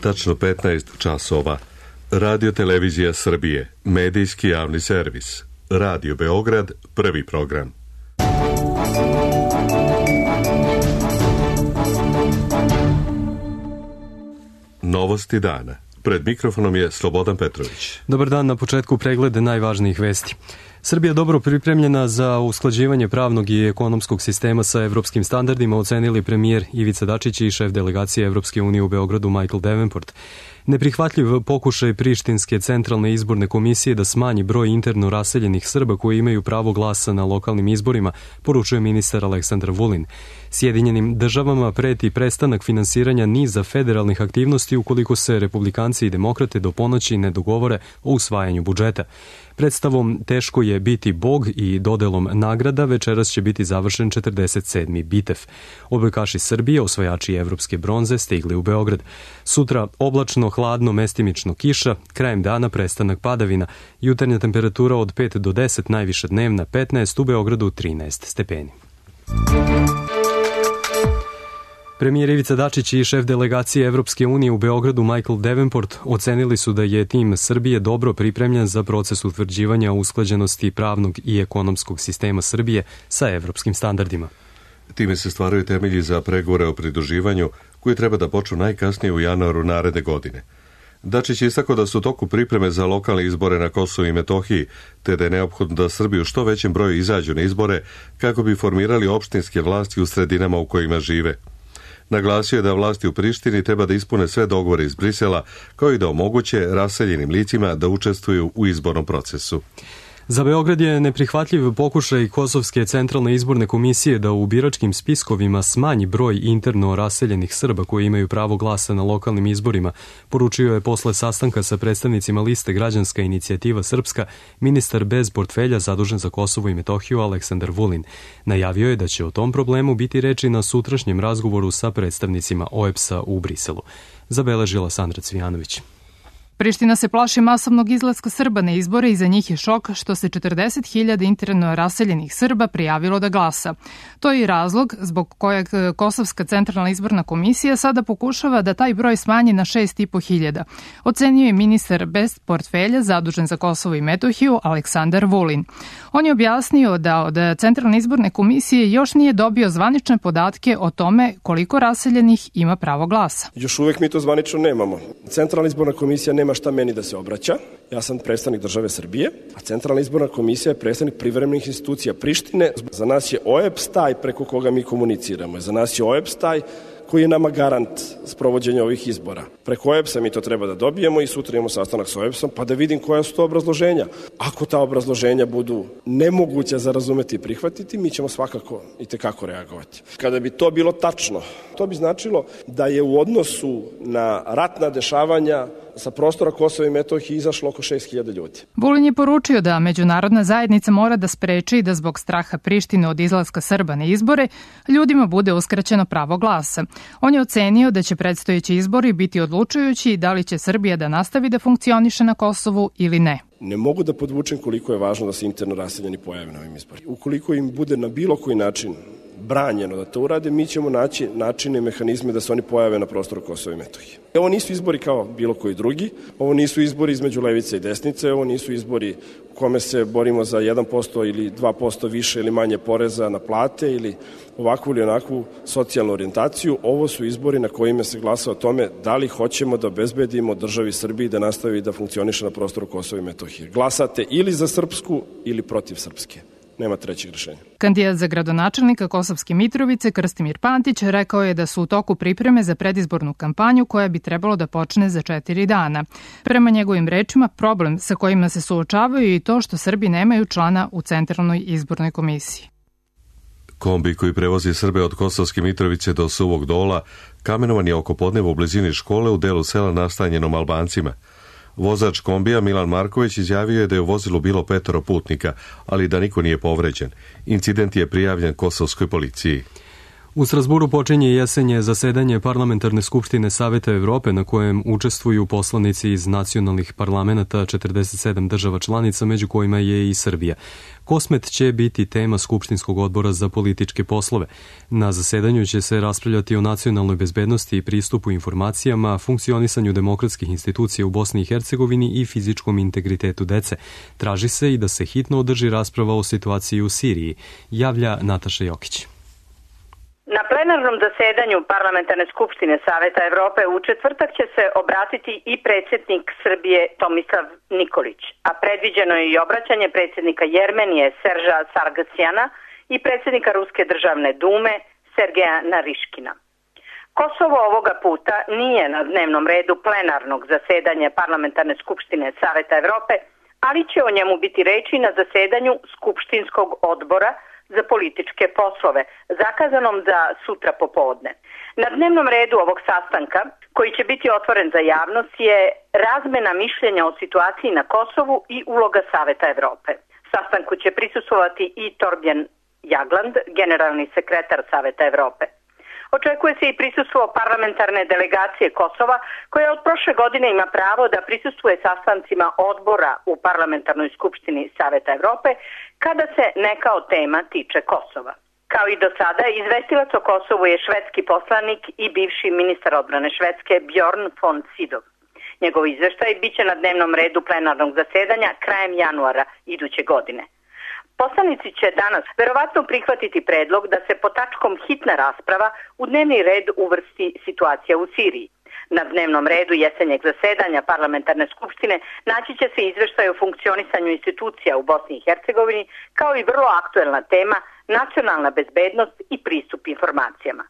tačno 15 časova. Radio Televizija Srbije, medijski javni servis. Radio Beograd, prvi program. Novosti dana. Pred mikrofonom je Slobodan Petrović. Dobar dan, na početku pregled najvažnijih vesti. Srbija dobro pripremljena za usklađivanje pravnog i ekonomskog sistema sa evropskim standardima, ocenili premijer Ivica Dačić i šef delegacije Evropske unije u Beogradu Michael Davenport. Neprihvatljiv pokušaj Prištinske centralne izborne komisije da smanji broj interno raseljenih Srba koji imaju pravo glasa na lokalnim izborima, poručuje ministar Aleksandar Vulin. Sjedinjenim državama preti prestanak finansiranja niza federalnih aktivnosti ukoliko se republikanci i demokrate do ponoći ne dogovore o usvajanju budžeta. Predstavom Teško je biti Bog i dodelom nagrada večeras će biti završen 47. bitev. Odbojkaši Srbije, osvajači evropske bronze, stigli u Beograd. Sutra oblačno, hladno, mestimično kiša, krajem dana prestanak padavina, jutarnja temperatura od 5 do 10, najviša dnevna 15, u Beogradu 13 stepeni. Premijer Ivica Dačić i šef delegacije Evropske unije u Beogradu Michael Davenport ocenili su da je tim Srbije dobro pripremljen za proces utvrđivanja usklađenosti pravnog i ekonomskog sistema Srbije sa evropskim standardima. Time se stvaraju temelji za pregovore o pridruživanju koji treba da počnu najkasnije u januaru naredne godine. Dačić je istakao da su u toku pripreme za lokalne izbore na Kosovu i Metohiji, te da je neophodno da Srbi u što većem broju izađu na izbore kako bi formirali opštinske vlasti u sredinama u kojima žive. Naglasio je da vlasti u Prištini treba da ispune sve dogovore iz Brisela, kao i da omoguće raseljenim licima da učestvuju u izbornom procesu. Za Beograd je neprihvatljiv pokušaj Kosovske centralne izborne komisije da u biračkim spiskovima smanji broj interno raseljenih Srba koji imaju pravo glasa na lokalnim izborima, poručio je posle sastanka sa predstavnicima liste Građanska inicijativa Srpska ministar bez portfelja zadužen za Kosovo i Metohiju Aleksandar Vulin. Najavio je da će o tom problemu biti reči na sutrašnjem razgovoru sa predstavnicima OEBS-a u Briselu. Zabeležila Sandra Cvijanović. Priština se plaši masovnog izlaska Srba na izbore i za njih je šok što se 40.000 interno raseljenih Srba prijavilo da glasa. To je i razlog zbog kojeg Kosovska centralna izborna komisija sada pokušava da taj broj smanji na 6.500. Ocenio je ministar bez portfelja zadužen za Kosovo i Metohiju Aleksandar Vulin. On je objasnio da od centralne izborne komisije još nije dobio zvanične podatke o tome koliko raseljenih ima pravo glasa. Još uvek mi to zvanično nemamo. Centralna izborna komisija nema šta meni da se obraća. Ja sam predstavnik države Srbije, a Centralna izborna komisija je predstavnik privremenih institucija Prištine. Za nas je OEBS taj preko koga mi komuniciramo. Za nas je OEBS taj koji je nama garant sprovođenja ovih izbora. Preko OEBS-a mi to treba da dobijemo i sutra imamo sastanak sa OEBS-om pa da vidim koja su to obrazloženja. Ako ta obrazloženja budu nemoguća za razumeti i prihvatiti, mi ćemo svakako i tekako reagovati. Kada bi to bilo tačno, to bi značilo da je u odnosu na ratna dešavanja sa prostora Kosova i Metohije izašlo oko 6.000 ljudi. Vulin je poručio da međunarodna zajednica mora da spreči da zbog straha Prištine od izlaska Srba na izbore ljudima bude uskraćeno pravo glasa. On je ocenio da će predstojeći izbori biti odlučujući da li će Srbija da nastavi da funkcioniše na Kosovu ili ne. Ne mogu da podvučem koliko je važno da se interno raseljeni pojave na ovim izborima. Ukoliko im bude na bilo koji način branjeno da to urade, mi ćemo naći načine i mehanizme da se oni pojave na prostoru Kosova i Metohije. Ovo nisu izbori kao bilo koji drugi, ovo nisu izbori između levice i desnice, ovo nisu izbori u kome se borimo za 1% ili 2% više ili manje poreza na plate ili ovakvu ili onakvu socijalnu orijentaciju. Ovo su izbori na kojima se glasa o tome da li hoćemo da obezbedimo državi Srbiji da nastavi da funkcioniše na prostoru Kosova i Metohije. Glasate ili za srpsku ili protiv srpske. Nema trećeg rešenja. Kandidat za gradonačelnika Kosovske Mitrovice Krstimir Pantić rekao je da su u toku pripreme za predizbornu kampanju koja bi trebalo da počne za 4 dana. Prema njegovim rečima, problem sa kojima se suočavaju i to što Srbi nemaju člana u Centralnoj izbornoj komisiji. Kombi koji prevozi Srbe od Kosovske Mitrovice do Suvog Dola kamenovan je oko podneva u blizini škole u delu sela nastanjenom Albancima. Vozač kombija Milan Marković izjavio je da je u vozilu bilo 5 putnika, ali da niko nije povređen. Incident je prijavljen kosovskoj policiji. U Strasburu počinje jesenje zasedanje Parlamentarne skupštine Saveta Evrope na kojem učestvuju poslanici iz nacionalnih parlamenata 47 država članica, među kojima je i Srbija. Kosmet će biti tema Skupštinskog odbora za političke poslove. Na zasedanju će se raspravljati o nacionalnoj bezbednosti i pristupu informacijama, funkcionisanju demokratskih institucija u Bosni i Hercegovini i fizičkom integritetu dece. Traži se i da se hitno održi rasprava o situaciji u Siriji, javlja Nataša Jokić. Na plenarnom zasedanju Parlamentarne skupštine Saveta Evrope u četvrtak će se obratiti i predsjednik Srbije Tomislav Nikolić, a predviđeno je i obraćanje predsjednika Jermenije Serža Sargsjana i predsjednika Ruske državne dume Sergeja Nariškina. Kosovo ovoga puta nije na dnevnom redu plenarnog zasedanja Parlamentarne skupštine Saveta Evrope, ali će o njemu biti reči na zasedanju Skupštinskog odbora za političke poslove, zakazanom za sutra popodne. Na dnevnom redu ovog sastanka, koji će biti otvoren za javnost, je razmena mišljenja o situaciji na Kosovu i uloga Saveta Evrope. Sastanku će prisustvovati i Torbjörn Jagland, generalni sekretar Saveta Evrope. Očekuje se i prisustvo parlamentarne delegacije Kosova, koja od prošle godine ima pravo da prisustvuje sastancima odbora u Parlamentarnoj skupštini Saveta Evrope kada se neka od tema tiče Kosova. Kao i do sada, izvestilac o Kosovu je švedski poslanik i bivši ministar odbrane Švedske Bjorn von Sydow. Njegov izveštaj biće na dnevnom redu plenarnog zasedanja krajem januara iduće godine. Poslanici će danas verovatno prihvatiti predlog da se pod tačkom hitna rasprava u dnevni red uvrsti situacija u Siriji. Na dnevnom redu jesenjeg zasedanja Parlamentarne skupštine naći će se izveštaj o funkcionisanju institucija u Bosni i Hercegovini, kao i vrlo aktuelna tema nacionalna bezbednost i pristup informacijama.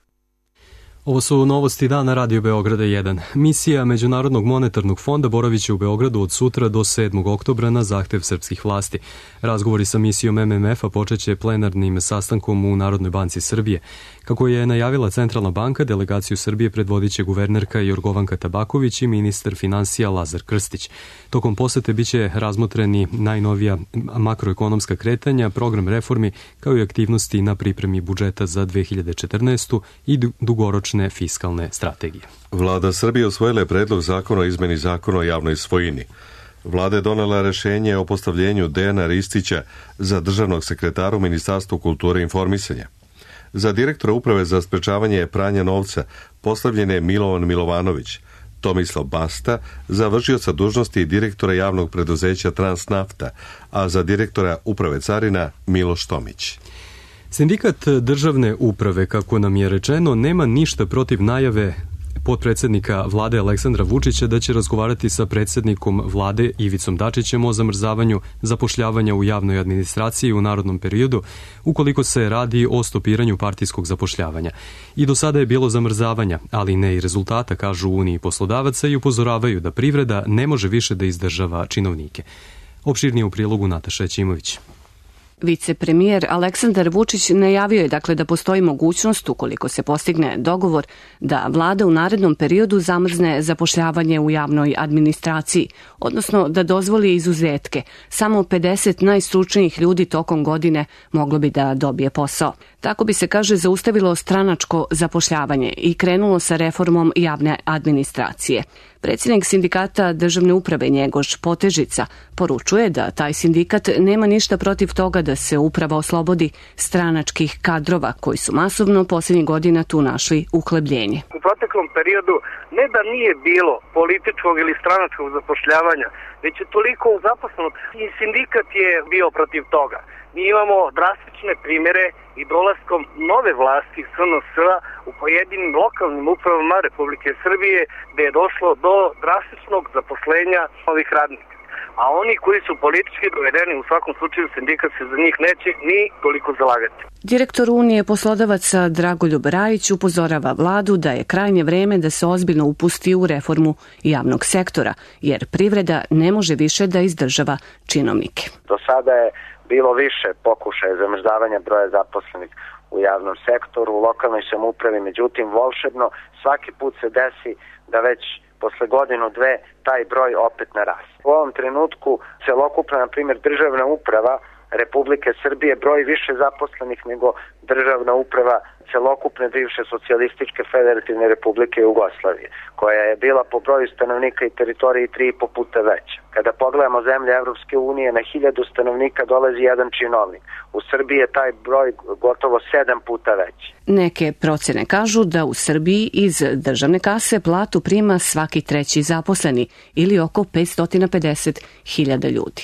Ovo su novosti dana Radio Beograda 1. Misija Međunarodnog monetarnog fonda boravit će u Beogradu od sutra do 7. oktobra na zahtev srpskih vlasti. Razgovori sa misijom MMF-a počeće plenarnim sastankom u Narodnoj banci Srbije. Kako je najavila Centralna banka, delegaciju Srbije predvodit će guvernerka Jorgovanka Tabaković i ministar finansija Lazar Krstić. Tokom posete biće razmotreni najnovija makroekonomska kretanja, program reformi, kao i aktivnosti na pripremi budžeta za 2014. i dugoročne fiskalne strategije. Vlada Srbije usvojila je predlog zakona o izmeni zakona o javnoj svojini. Vlada je donela rešenje o postavljenju Dejana Ristića za državnog sekretara u Ministarstvu kulture i informisanja. Za direktora Uprave za sprečavanje pranja novca postavljen je Milovan Milovanović, Tomislav Basta za vršioca dužnosti direktora javnog preduzeća Transnafta, a za direktora Uprave carina Miloš Tomić. Sindikat državne uprave, kako nam je rečeno, nema ništa protiv najave potpredsednika vlade Aleksandra Vučića da će razgovarati sa predsednikom vlade Ivicom Dačićem o zamrzavanju zapošljavanja u javnoj administraciji u narodnom periodu, ukoliko se radi o stopiranju partijskog zapošljavanja. I do sada je bilo zamrzavanja, ali ne i rezultata, kažu u Uniji poslodavaca, i upozoravaju da privreda ne može više da izdržava činovnike. Opširnije u prilogu Nataša Ćimović. Vicepremijer Aleksandar Vučić najavio je dakle da postoji mogućnost, ukoliko se postigne dogovor, da vlada u narednom periodu zamrzne zapošljavanje u javnoj administraciji, odnosno da dozvoli izuzetke. Samo 50 najstručnijih ljudi tokom godine moglo bi da dobije posao. Tako bi se, kaže, zaustavilo stranačko zapošljavanje i krenulo sa reformom javne administracije. Predsjednik sindikata državne uprave Njegoš Potežica poručuje da taj sindikat nema ništa protiv toga da se uprava oslobodi stranačkih kadrova koji su masovno posljednjih godina tu našli uhlebljenje. U proteklom periodu ne da nije bilo političkog ili stranačkog zapošljavanja, već je toliko zaposleno i sindikat je bio protiv toga. Mi imamo drastične primjere i dolaskom nove vlasti SNS-a u pojedinim lokalnim upravama Republike Srbije gde je došlo do drastičnog zaposlenja ovih radnika. A oni koji su politički dovedeni, u svakom slučaju sindikat se za njih neće ni toliko zalagati. Direktor Unije poslodavaca Dragoljub Rajić upozorava vladu da je krajnje vreme da se ozbiljno upusti u reformu javnog sektora, jer privreda ne može više da izdržava činovnike. Do sada je bilo više pokušaja zamrzavanja broja zaposlenih u javnom sektoru, u lokalnoj samoupravi, međutim volšebno svaki put se desi da već posle godinu, dve, taj broj opet narasti. U ovom trenutku celokupna, na primjer, državna uprava Republike Srbije broji više zaposlenih nego državna uprava celokupne bivše socijalističke federativne republike Jugoslavije, koja je bila po broju stanovnika i teritoriji 3,5 puta veća. Kada pogledamo zemlje Evropske unije, na 1000 stanovnika dolazi jedan činovnik. U Srbiji je taj broj gotovo 7 puta veći. Neke procene kažu da u Srbiji iz državne kase platu prima svaki treći zaposleni ili oko 550.000 ljudi.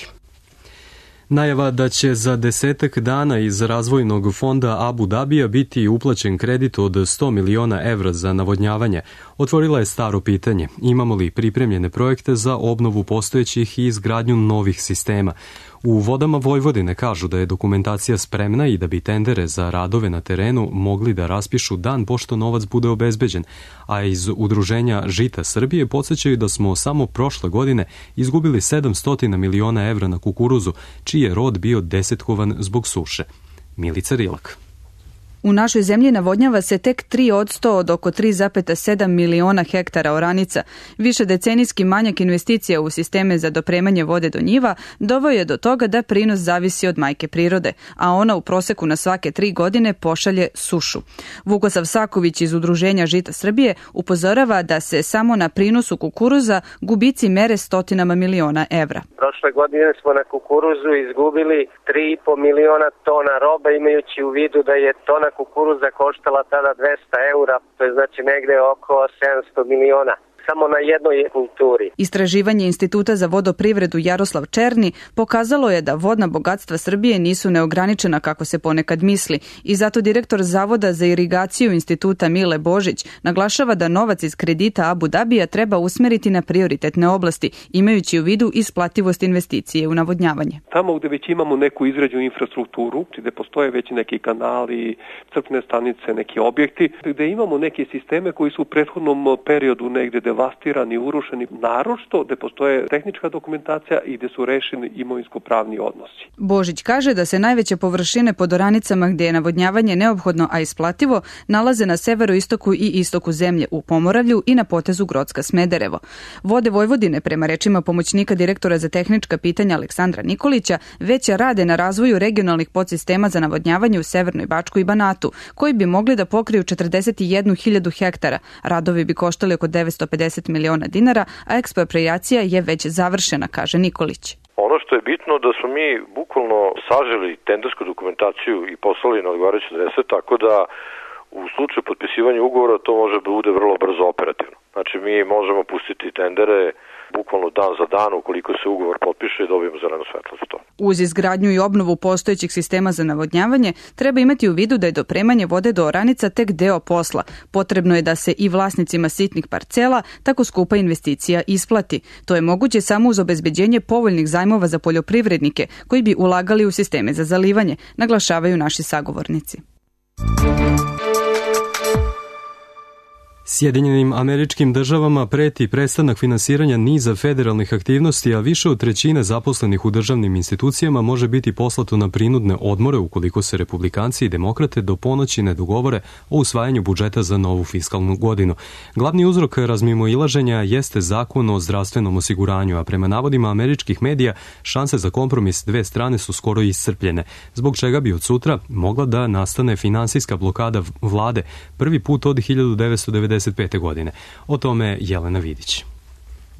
Najava da će za 10 dana iz razvojnog fonda Abu Dabija biti uplaćen kredit od 100 miliona evra za navodnjavanje otvorila je staro pitanje: imamo li pripremljene projekte za obnovu postojećih i izgradnju novih sistema? U Vodama Vojvodine kažu da je dokumentacija spremna i da bi tendere za radove na terenu mogli da raspišu dan pošto novac bude obezbeđen, a iz Udruženja Žita Srbije podsećaju da smo samo prošle godine izgubili 700 miliona evra na kukuruzu, čiji je rod bio desetkovan zbog suše. Milica Rilak. U našoj zemlji navodnjava se tek 3% od oko 3,7 miliona hektara oranica. Višedecenijski manjak investicija u sisteme za dopremanje vode do njiva doveo je do toga da prinos zavisi od majke prirode, a ona u proseku na svake 3 godine pošalje sušu. Vukosav Saković iz Udruženja Žita Srbije upozorava da se samo na prinosu kukuruza gubici mere stotinama miliona evra. Prošle godine smo na kukuruzu izgubili 3,5 miliona tona robe, imajući u vidu da je tona kukuruza koštala tada 200 eura, to je znači negde oko 700 miliona. Samo na jednoj kulturi. Istraživanje Instituta za vodoprivredu Jaroslav Černi pokazalo je da vodna bogatstva Srbije nisu neograničena kako se ponekad misli i zato direktor Zavoda za irigaciju Instituta Mile Božić naglašava da novac iz kredita Abu Dabija treba usmeriti na prioritetne oblasti, imajući u vidu isplativost investicije u navodnjavanje. Tamo gde već imamo neku izgrađenu infrastrukturu, gde postoje već neki kanali, crpne stanice, neki objekti, gde imamo neke sisteme koji su u prethodnom periodu negde devastirani, urušeni, naročito gde postoje tehnička dokumentacija i gde su rešeni imovinsko-pravni odnosi. Božić kaže da se najveće površine pod oranicama gde je navodnjavanje neophodno, a isplativo, nalaze na severoistoku i istoku zemlje, u Pomoravlju i na potezu Grocka-Smederevo. Vode Vojvodine, prema rečima pomoćnika direktora za tehnička pitanja Aleksandra Nikolića, već rade na razvoju regionalnih podsistema za navodnjavanje u Severnoj Bačkoj i Banatu, koji bi mogli da pokriju 41.000 hektara. Radovi bi koštali oko 950 miliona dinara, a eksproprijacija je već završena, kaže Nikolić. Ono što je bitno da smo mi bukvalno saželi tendersku dokumentaciju i poslali na odgovarajuće adrese, tako da u slučaju potpisivanja ugovora to može da bude vrlo brzo operativno. Znači mi možemo pustiti tendere bukvalno dan za dan, ukoliko se ugovor potpiše i dobijemo zeleno svetlo za to. Uz izgradnju i obnovu postojećih sistema za navodnjavanje, treba imati u vidu da je dopremanje vode do oranica tek deo posla. Potrebno je da se i vlasnicima sitnih parcela tako skupa investicija isplati. To je moguće samo uz obezbeđenje povoljnih zajmova za poljoprivrednike koji bi ulagali u sisteme za zalivanje, naglašavaju naši sagovornici. Sjedinjenim Američkim Državama preti prestanak finansiranja niza federalnih aktivnosti, a više od trećine zaposlenih u državnim institucijama može biti poslato na prinudne odmore ukoliko se republikanci i demokrate do ponoći ne dogovore o usvajanju budžeta za novu fiskalnu godinu. Glavni uzrok razmimoilaženja jeste zakon o zdravstvenom osiguranju, a prema navodima američkih medija šanse za kompromis dve strane su skoro iscrpljene, zbog čega bi od sutra mogla da nastane finansijska blokada vlade, prvi put od 1995. godine. O tome Jelena Vidić.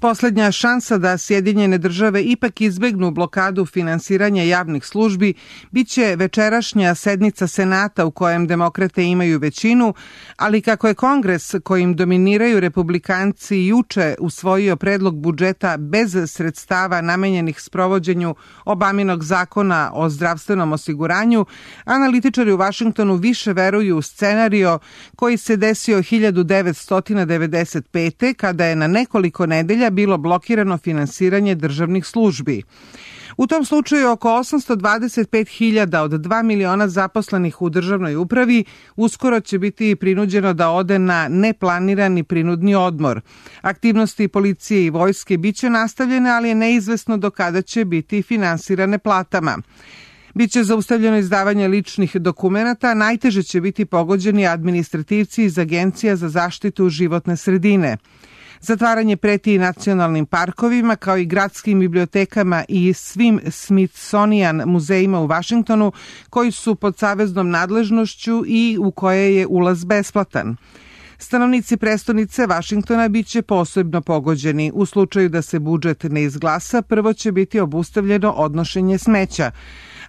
Poslednja šansa da Sjedinjene države ipak izbegnu blokadu finansiranja javnih službi biće večerašnja sednica Senata u kojem demokrate imaju većinu, ali kako je Kongres kojim dominiraju republikanci juče usvojio predlog budžeta bez sredstava namenjenih sprovođenju Obaminog zakona o zdravstvenom osiguranju, analitičari u Vašingtonu više veruju u scenario koji se desio 1995. kada je na nekoliko nedelja bilo blokirano finansiranje državnih službi. U tom slučaju oko 825.000 od 2 miliona zaposlenih u državnoj upravi uskoro će biti prinuđeno da ode na neplanirani prinudni odmor. Aktivnosti policije i vojske biće nastavljene, ali je neizvesno do kada će biti finansirane platama. Biće zaustavljeno izdavanje ličnih dokumenata, najteže će biti pogođeni administrativci iz Agencija za zaštitu životne sredine. Zatvaranje preti i nacionalnim parkovima, kao i gradskim bibliotekama i svim Smithsonian muzejima u Vašingtonu, koji su pod saveznom nadležnošću i u koje je ulaz besplatan. Stanovnici prestonice Vašingtona biće posebno pogođeni. U slučaju da se budžet ne izglasa, prvo će biti obustavljeno odnošenje smeća.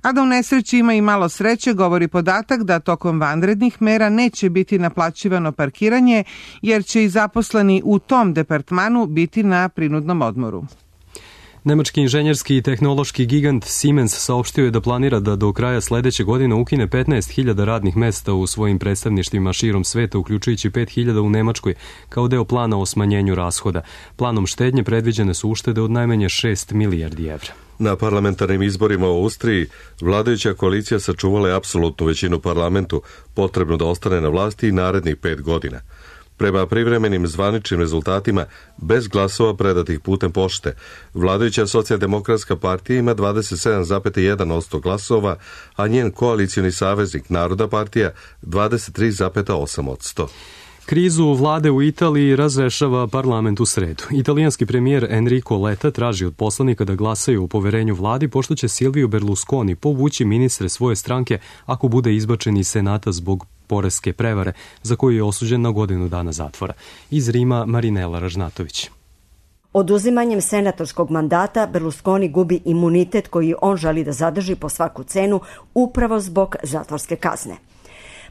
A da u nesreći ima i malo sreće, govori podatak da tokom vanrednih mera neće biti naplaćivano parkiranje, jer će i zaposleni u tom departmanu biti na prinudnom odmoru. Nemački inženjerski i tehnološki gigant Siemens saopštio je da planira da do kraja sledeće godine ukine 15.000 radnih mesta u svojim predstavništvima širom sveta, uključujući 5.000 u Nemačkoj, kao deo plana o smanjenju rashoda. Planom štednje predviđene su uštede od najmanje 6 milijardi evra. Na parlamentarnim izborima u Austriji vladajuća koalicija sačuvala je apsolutnu većinu parlamentu, potrebno da ostane na vlasti i narednih 5 godina. Prema privremenim zvaničnim rezultatima, bez glasova predatih putem pošte, vladajuća socijaldemokratska partija ima 27,1% glasova, a njen koalicioni saveznik Narodna partija 23,8%. Krizu vlade u Italiji razrešava parlament u sredu. Italijanski premijer Enrico Letta traži od poslanika da glasaju o poverenju vladi, pošto će Silvio Berlusconi povući ministre svoje stranke ako bude izbačen iz Senata zbog poreske prevare, za koju je osuđen na godinu dana zatvora. Iz Rima Marinela Ražnatović. Oduzimanjem senatorskog mandata Berlusconi gubi imunitet koji on želi da zadrži po svaku cenu upravo zbog zatvorske kazne.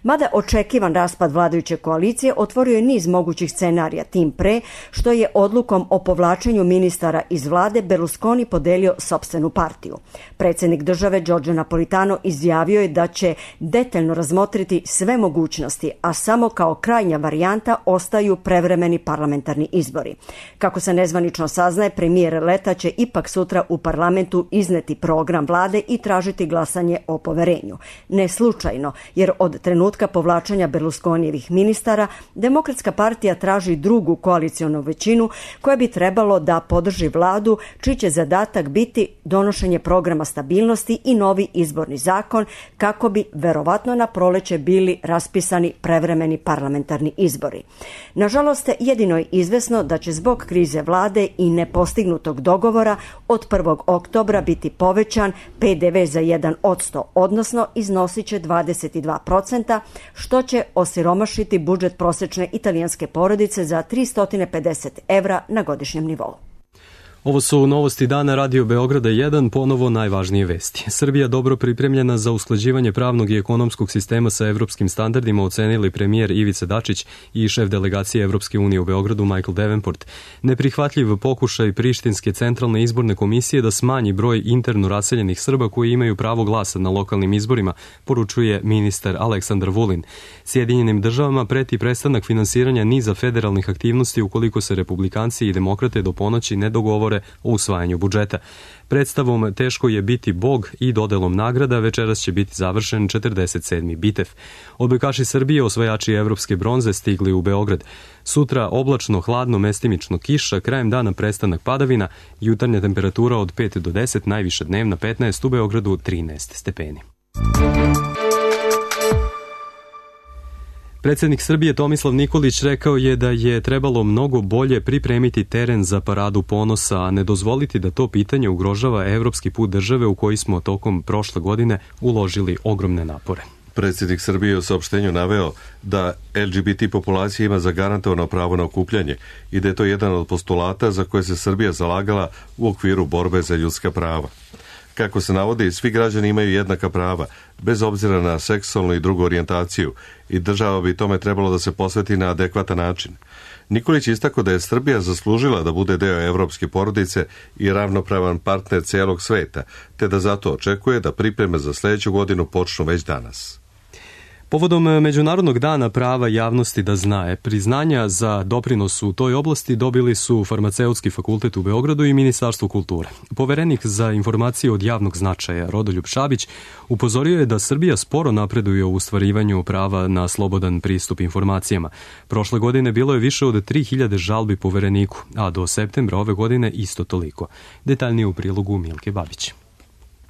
Mada očekivan raspad vladajuće koalicije otvorio je niz mogućih scenarija, tim pre što je odlukom o povlačenju ministara iz vlade Berlusconi podelio sopstvenu partiju. Predsjednik države Giorgio Napolitano izjavio je da će detaljno razmotriti sve mogućnosti, a samo kao krajnja varijanta ostaju prevremeni parlamentarni izbori. Kako se nezvanično saznaje, premijer Letta će ipak sutra u parlamentu izneti program vlade i tražiti glasanje o poverenju. Ne slučajno, jer od trenutka povlačenja Berlusconijevih ministara, Demokratska partija traži drugu koalicionu većinu koja bi trebalo da podrži vladu, čiji će zadatak biti donošenje programa stabilnosti i novi izborni zakon, kako bi verovatno na proleće bili raspisani prevremeni parlamentarni izbori. Nažalost, jedino je izvesno da će zbog krize vlade i nepostignutog dogovora od 1. oktobra biti povećan PDV za 1%, odnosno iznosit će 22%, što će osiromašiti budžet prosečne italijanske porodice za 350 evra na godišnjem nivou. Ovo su novosti dana Radio Beograda 1, ponovo najvažnije vesti. Srbija dobro pripremljena za usklađivanje pravnog i ekonomskog sistema sa evropskim standardima, ocenili premijer Ivica Dačić i šef delegacije Evropske unije u Beogradu Michael Davenport. Neprihvatljiv pokušaj Prištinske centralne izborne komisije da smanji broj interno raseljenih Srba koji imaju pravo glasa na lokalnim izborima, poručuje ministar Aleksandar Vulin. Sjedinjenim državama preti prestanak finansiranja niza federalnih aktivnosti ukoliko se republikanci i demokrate do ponoći ne dogovore o usvajanju budžeta. Predstavom Teško je biti Bog i dodelom nagrada večeras će biti završen 47. bitev. Odbojkaši Srbije, osvajači evropske bronze, stigli u Beograd. Sutra oblačno, hladno, mestimično kiša, krajem dana prestanak padavina, jutarnja temperatura od 5 do 10, najviša dnevna 15, u Beogradu 13 stepeni. Predsjednik Srbije Tomislav Nikolić rekao je da je trebalo mnogo bolje pripremiti teren za paradu ponosa, a ne dozvoliti da to pitanje ugrožava evropski put države u koji smo tokom prošle godine uložili ogromne napore. Predsjednik Srbije u saopštenju naveo da LGBT populacija ima zagarantovano pravo na okupljanje i da je to jedan od postulata za koje se Srbija zalagala u okviru borbe za ljudska prava. Kako se navodi, svi građani imaju jednaka prava, bez obzira na seksualnu i drugu orijentaciju, i država bi tome trebalo da se posveti na adekvatan način. Nikolić istakao da je Srbija zaslužila da bude deo evropske porodice i ravnopravan partner cijelog sveta, te da zato očekuje da pripreme za sljedeću godinu počnu već danas. Povodom Međunarodnog dana prava javnosti da zna, priznanja za doprinos u toj oblasti dobili su Farmaceutski fakultet u Beogradu i Ministarstvo kulture. Poverenik za informacije od javnog značaja Rodoljub Šabić upozorio je da Srbija sporo napreduje u ostvarivanju prava na slobodan pristup informacijama. Prošle godine bilo je više od 3000 žalbi Povereniku, a do septembra ove godine isto toliko. Detaljnije u prilogu Milke Babić.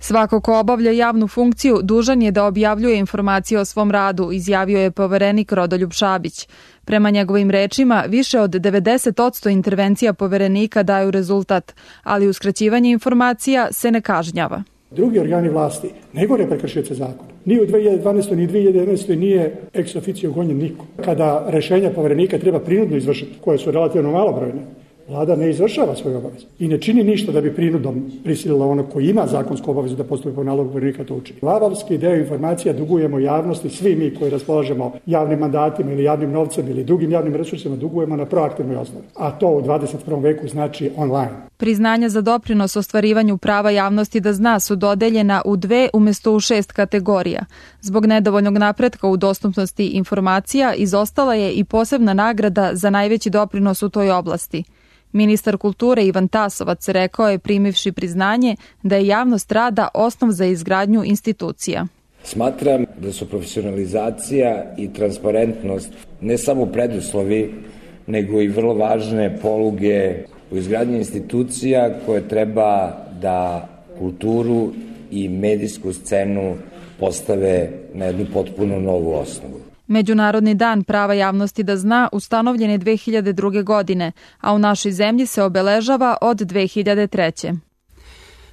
Svako ko obavlja javnu funkciju dužan je da objavljuje informacije o svom radu, izjavio je poverenik Rodoljub Šabić. Prema njegovim rečima, više od 90% intervencija poverenika daju rezultat, ali uskraćivanje informacija se ne kažnjava. Drugi organi vlasti ne gore prekršioce zakona. Ni u 2012. ni 2011. nije ex officio gonjen niko. Kada rešenja poverenika treba prinudno izvršiti, koje su relativno malobrojne, Vlada ne izvršava svoje obaveze i ne čini ništa da bi prinudom prisilila ono koji ima zakonsku obavezu da postupi po nalogu poverenika to učini. Lavovski deo informacija dugujemo javnosti, svi mi koji raspolažemo javnim mandatima ili javnim novcem ili drugim javnim resursima dugujemo na proaktivnoj osnovi, a to u 21. veku znači online. Priznanja za doprinos ostvarivanju prava javnosti da zna su dodeljena u 2 umjesto u 6 kategorija. Zbog nedovoljnog napretka u dostupnosti informacija izostala je i posebna nagrada za najveći doprinos u toj oblasti. Ministar kulture Ivan Tasovac rekao je, primivši priznanje, da je javnost rada osnov za izgradnju institucija. Smatram da su profesionalizacija i transparentnost ne samo preduslovi, nego i vrlo važne poluge u izgradnji institucija koje treba da kulturu i medijsku scenu postave na jednu potpuno novu osnovu. Međunarodni dan prava javnosti da zna ustanovljen je 2002. godine, a u našoj zemlji se obeležava od 2003.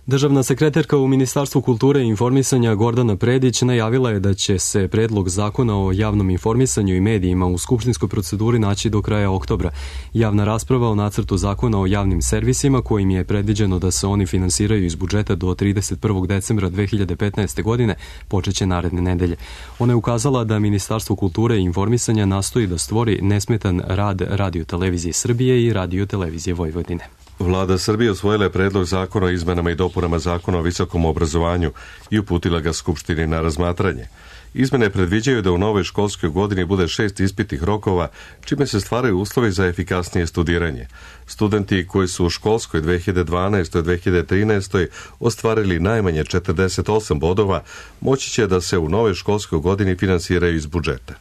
Državna sekretarka u Ministarstvu kulture i informisanja Gordana Predić najavila je da će se predlog zakona o javnom informisanju i medijima u skupštinskoj proceduri naći do kraja oktobra. Javna rasprava o nacrtu zakona o javnim servisima, kojim je predviđeno da se oni finansiraju iz budžeta do 31. decembra 2015. godine, počeće naredne nedelje. Ona je ukazala da Ministarstvo kulture i informisanja nastoji da stvori nesmetan rad Radio-televizije Srbije i Radio-televizije Vojvodine. Vlada Srbije usvojila je predlog zakona o izmenama i dopunama zakona o visokom obrazovanju i uputila ga Skupštini na razmatranje. Izmene predviđaju da u novoj školskoj godini bude 6 ispitnih rokova, čime se stvaraju uslovi za efikasnije studiranje. Studenti koji su u školskoj 2012-2013 ostvarili najmanje 48 bodova, moći će da se u novoj školskoj godini finansiraju iz budžeta.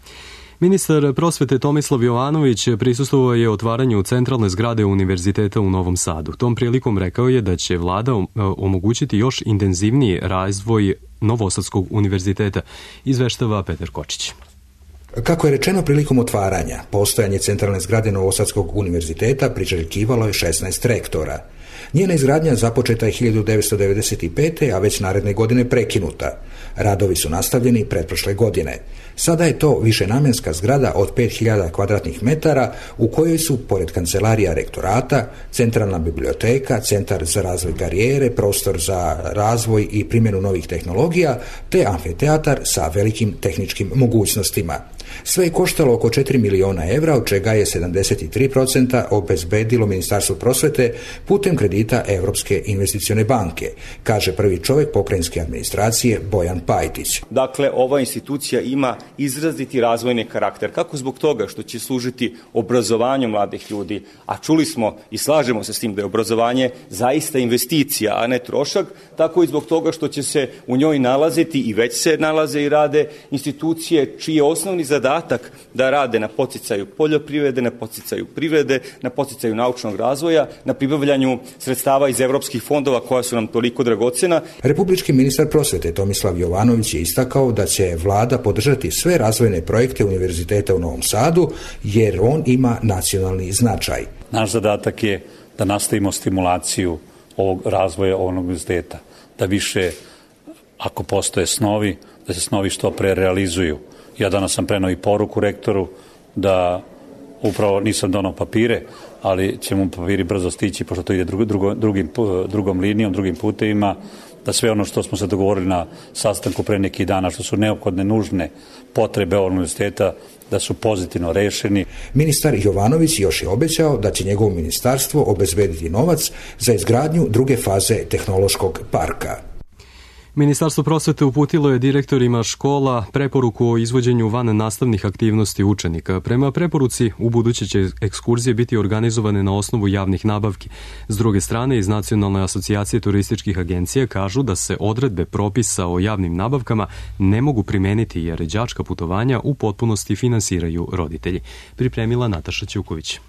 Ministar prosvete Tomislav Jovanović prisustvovao je otvaranju centralne zgrade Univerziteta u Novom Sadu. Tom prilikom rekao je da će vlada omogućiti još intenzivniji razvoj Novosadskog univerziteta, izveštava Petar Kočić. Kako je rečeno prilikom otvaranja, postojanje centralne zgrade Novosadskog univerziteta priželjkivalo je 16 rektora. Njena izgradnja započeta je 1995. a već naredne godine prekinuta. Radovi su nastavljeni pretprošle godine. Sada je to višenamjenska zgrada od 5000 kvadratnih metara u kojoj su, pored kancelarija rektorata, centralna biblioteka, centar za razvoj karijere, prostor za razvoj i primjenu novih tehnologija, te amfiteatar sa velikim tehničkim mogućnostima. Sve je koštalo oko 4 miliona evra, od čega je 73% obezbedilo Ministarstvo prosvete putem kredita Evropske investicione banke, kaže prvi čovjek pokrajinske administracije Bojan Pajtić. Dakle, ova institucija ima izraziti razvojni karakter, kako zbog toga što će služiti obrazovanju mladih ljudi, a čuli smo i slažemo se s tim da je obrazovanje zaista investicija, a ne trošak, tako i zbog toga što će se u njoj nalaziti i već se nalaze i rade institucije čiji je osnovni zadatak da rade na podsticaju poljoprivrede, na podsticaju privrede, na podsticaju naučnog razvoja, na pribavljanju sredstava iz evropskih fondova koja su nam toliko dragocena. Republički ministar prosvete Tomislav Jovanović je istakao da će vlada podržati sve razvojne projekte Univerziteta u Novom Sadu jer on ima nacionalni značaj. Naš zadatak je da nastavimo stimulaciju ovog razvoja ovog univerziteta, da više, ako postoje snovi, da se snovi što pre realizuju. Ja danas sam prenao i poruku rektoru da upravo nisam donao papire, ali će mu papiri brzo stići, pošto to ide drugom linijom, drugim putevima, da sve ono što smo se dogovorili na sastanku pre neki dana, što su neophodne, nužne potrebe ovog univerziteta, da su pozitivno rešeni. Ministar Jovanović još je obećao da će njegovo ministarstvo obezbediti novac za izgradnju druge faze tehnološkog parka. Ministarstvo prosvete uputilo je direktorima škola preporuku o izvođenju van nastavnih aktivnosti učenika. Prema preporuci, ubuduće će ekskurzije biti organizovane na osnovu javnih nabavki. S druge strane, iz Nacionalne asocijacije turističkih agencija kažu da se odredbe propisa o javnim nabavkama ne mogu primeniti jer đačka putovanja u potpunosti finansiraju roditelji. Pripremila Nataša Ćuković.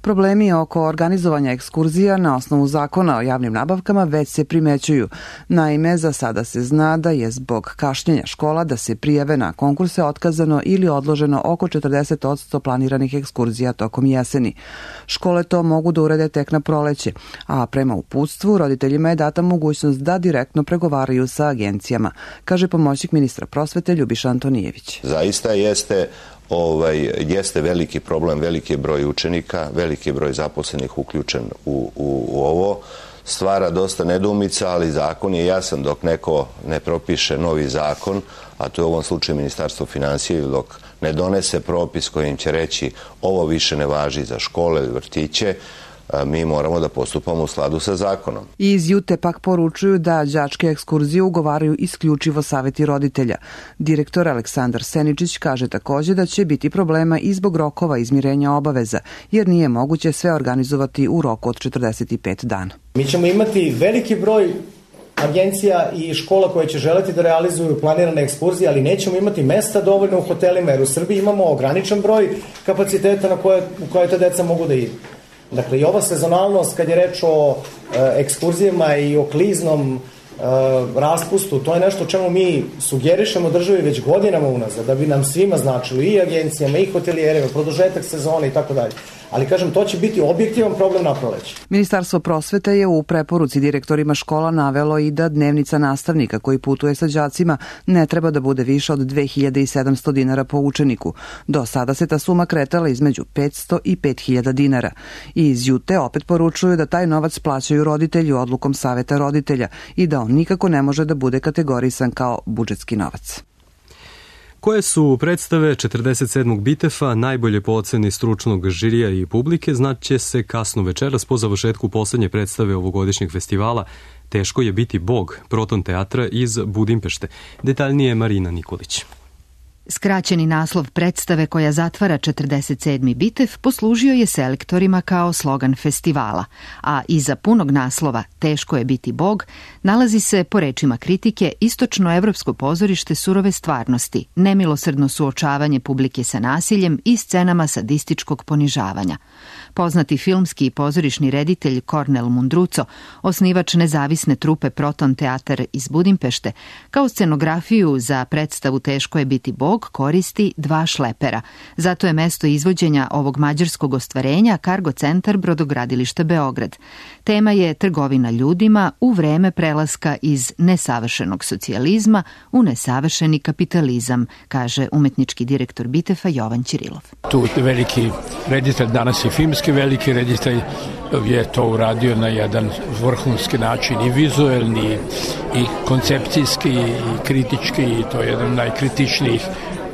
Problemi oko organizovanja ekskurzija na osnovu zakona o javnim nabavkama već se primećuju. Naime, za sada se zna da je zbog kašnjenja škola da se prijave na konkurse otkazano ili odloženo oko 40% planiranih ekskurzija tokom jeseni. Škole to mogu da urede tek na proleće, a prema uputstvu roditeljima je data mogućnost da direktno pregovaraju sa agencijama, kaže pomoćnik ministra prosvete Ljubiša Antonijević. Zaista jeste veliki problem, veliki broj učenika, veliki broj zaposlenih uključen u ovo. Stvara dosta nedoumica, ali zakon je jasan dok neko ne propiše novi zakon, a to je u ovom slučaju Ministarstvo finansija, dok ne donese propis kojim će reći ovo više ne važi za škole ili vrtiće, mi moramo da postupamo u skladu sa zakonom. Iz Jute pak poručuju da đačke ekskurzije ugovaraju isključivo saveti roditelja. Direktor Aleksandar Seničić kaže takođe da će biti problema i zbog rokova izmirenja obaveza, jer nije moguće sve organizovati u roku od 45 dana. Mi ćemo imati veliki broj agencija i škola koje će želeti da realizuju planirane ekskurzije, ali nećemo imati mesta dovoljno u hotelima, jer u Srbiji imamo ograničen broj kapaciteta u koje te deca mogu da idu. Dakle, i ova sezonalnost, kad je reč o ekskurzijama i o kliznom raspustu, to je nešto o čemu mi sugerišemo državi već godinama unazad, da bi nam svima značilo, i agencijama, i hotelijerima, produžetak sezone i tako dalje. Ali, kažem, to će biti objektivan problem na proleće. Ministarstvo prosvete je u preporuci direktorima škola navelo i da dnevnica nastavnika koji putuje sa đacima ne treba da bude više od 2700 dinara po učeniku. Do sada se ta suma kretala između 500 i 5000 dinara. I iz Jute opet poručuju da taj novac plaćaju roditelji odlukom saveta roditelja i da on nikako ne može da bude kategorisan kao budžetski novac. Koje su predstave 47. Bitefa najbolje po oceni stručnog žirija i publike znaće se kasno večeras po završetku poslednje predstave ovogodišnjeg festivala Teško je biti Bog, Proton teatra iz Budimpešte. Detaljnije Marina Nikolić. Skraćeni naslov predstave koja zatvara 47. Bitev poslužio je selektorima kao slogan festivala, a iza punog naslova Teško je biti Bog nalazi se, po rečima kritike, istočnoevropsko pozorište surove stvarnosti, nemilosrdno suočavanje publike sa nasiljem i scenama sadističkog ponižavanja. Poznati filmski i pozorišni reditelj Kornel Mundruco, osnivač nezavisne trupe Proton teatar iz Budimpešte, kao scenografiju za predstavu Teško je biti Bog koristi 2 šlepera. Zato je mesto izvođenja ovog mađarskog ostvarenja Kargo centar Brodogradilišta Beograd. Tema je trgovina ljudima u vreme prelaska iz nesavršenog socijalizma u nesavršeni kapitalizam, kaže umetnički direktor Bitefa Jovan Ćirilov. Tu veliki reditelj, danas je filmski veliki reditelj, je to uradio na jedan vrhunski način, i vizuelni, i koncepcijski, i kritički, i to je jedan najkritičnijih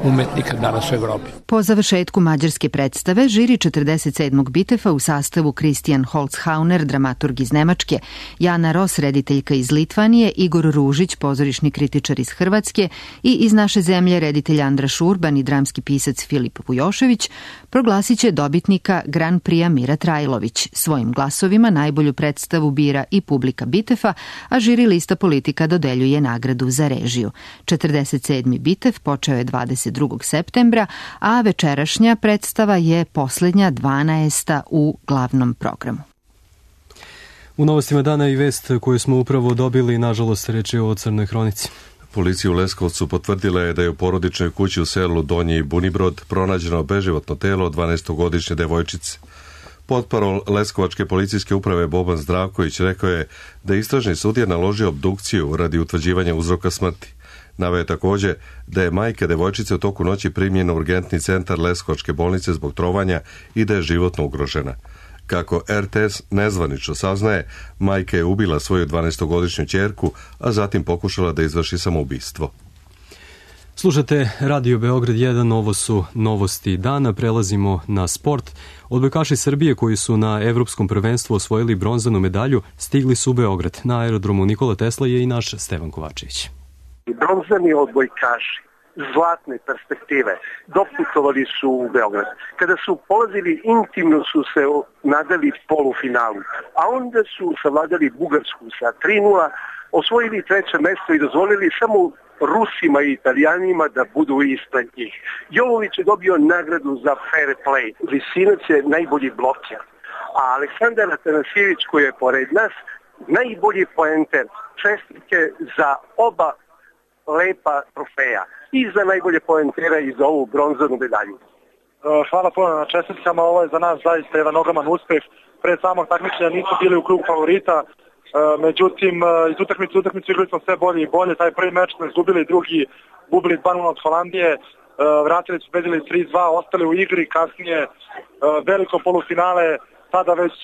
umetnika danas u Evropi. Po završetku mađarske predstave, žiri 47. Bitefa u sastavu Kristijan Holzhauner, dramaturg iz Nemačke, Jana Ros, rediteljka iz Litvanije, Igor Ružić, pozorišni kritičar iz Hrvatske i iz naše zemlje reditelj Andra Šurban i dramski pisac Filip Vujošević, proglasit će dobitnika Grand Prix Mira Trajlović. Svojim glasovima najbolju predstavu bira i publika Bitefa, a žiri lista politika dodeljuje nagradu za režiju. 47. Bitev počeo je 22. septembra, a večerašnja predstava je poslednja 12. u glavnom programu. U novostima dana i vest koju smo upravo dobili, nažalost, reč je o crnoj hronici. Policija u Leskovcu potvrdila je da je u porodičnoj kući u selu Donji Bunibrod pronađeno beživotno telo 12-godišnje devojčice. Potparol Leskovačke policijske uprave Boban Zdravković rekao je da je istražni sudija naložio obdukciju radi utvrđivanja uzroka smrti. Naveo je takođe da je majka devojčice u toku noći primljena u urgentni centar Leskovačke bolnice zbog trovanja i da je životno ugrožena. Kako RTS nezvanično saznaje, majka je ubila svoju 12-godišnju ćerku, a zatim pokušala da izvrši samoubistvo. Slušate Radio Beograd 1, ovo su novosti dana, prelazimo na sport. Odbojkaši Srbije koji su na Evropskom prvenstvu osvojili bronzanu medalju stigli su u Beograd. Na aerodromu Nikola Tesla je i naš Stevan Kovačević. Bronzani odbojkaši zlatne perspektive doputovali su u Beograd. Kada su polazili, intimno su se nadali polufinalu, a onda su savladali Bugarsku sa 3:0, osvojili 3. mesto i dozvolili samo Rusima i Italijanima da budu ispred njih. Jovović je dobio nagradu za fair play. Visinac je najbolji bloker. A Aleksandar Atanasijević koji je pored nas, najbolji poenter, čestitke za oba lepa trofeja. I za najbolje poentera i za ovu bronzanu medalju. Hvala puno na čestitkama, ovo je za nas zaista jedan ogroman uspeh. Pre samog takmičenja nismo bili u krugu favorita, međutim iz utakmice igrali smo sve bolje i bolje. Taj prvi meč smo izgubili, drugi gubili 2-0 od Holandije, vratili su pobedili 3-2, ostali u igri, kasnije veliko polufinale, sada već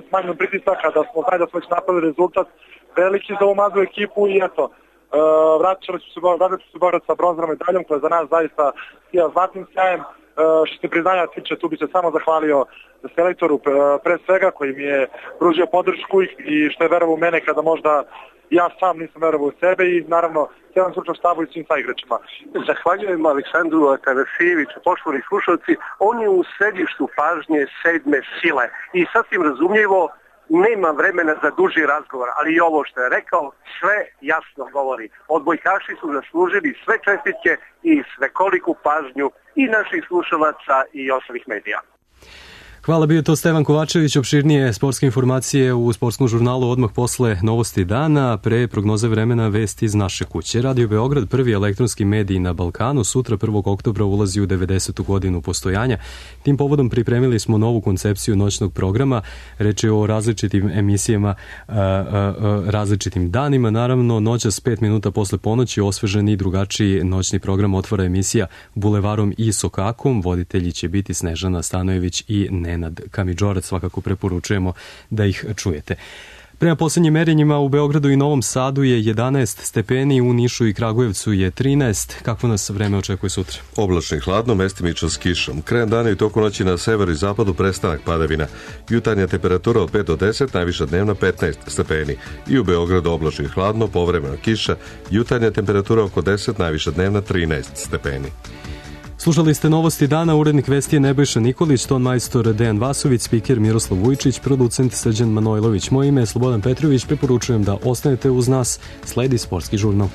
smanjenom pritisaka da smo već napravili rezultat veliki za ovu mladu ekipu i eto, vraćali su se borac sa bronzanom medaljom koja je za nas zaista zlatnim sjajem. Što se priznanja tiče, tu bi se samo zahvalio selektoru pre svega koji mi je pružio podršku i što je verovao u mene kada možda ja sam nisam verovao u sebe i naravno cijelom stručnom štabu i svim saigračima. Zahvaljujem Aleksandru Atanasijeviću, poštovani slušalci, on je u središtu pažnje sedme sile i sasvim razumljivo nema vremena za duži razgovor, ali i ovo što je rekao sve jasno govori. Odbojkaši su zaslužili sve čestitke i svekoliku pažnju i naših slušalaca i ostalih medija. Hvala, bio to Stevan Kovačević. Opširnije sportske informacije u sportskom žurnalu odmah posle novosti dana, pre prognoze vremena vesti iz naše kuće. Radio Beograd, prvi elektronski medij na Balkanu, sutra 1. oktobra ulazi u 90. godinu postojanja. Tim povodom pripremili smo novu koncepciju noćnog programa. Reč je o različitim emisijama, različitim danima. Naravno, noćas 5 minuta posle ponoći osveženi i drugačiji noćni program otvara emisija Bulevarom i Sokakom. Voditelji će biti Snežana Stanojević i Nenad Kamidžorac, svakako preporučujemo da ih čujete. Prema posljednjim merenjima u Beogradu i Novom Sadu je 11 stepeni, u Nišu i Kragujevcu je 13. Kakvo nas vreme očekuje sutra? Oblačno i hladno, mestimično s kišom. Krajem dana i toku noći na severu i zapadu prestanak padavina. Jutarnja temperatura od 5 do 10, najviša dnevna 15 stepeni. I u Beogradu oblačno i hladno, povremeno kiša. Jutarnja temperatura oko 10, najviša dnevna 13 stepeni. Slušali ste novosti dana, urednik vesti je Nebojša Nikolić, ton majstor Dejan Vasović, spiker Miroslav Vujčić, producent Srđan Manojlović. Moje ime je Slobodan Petrović, preporučujem da ostanete uz nas, sledi sportski žurnal.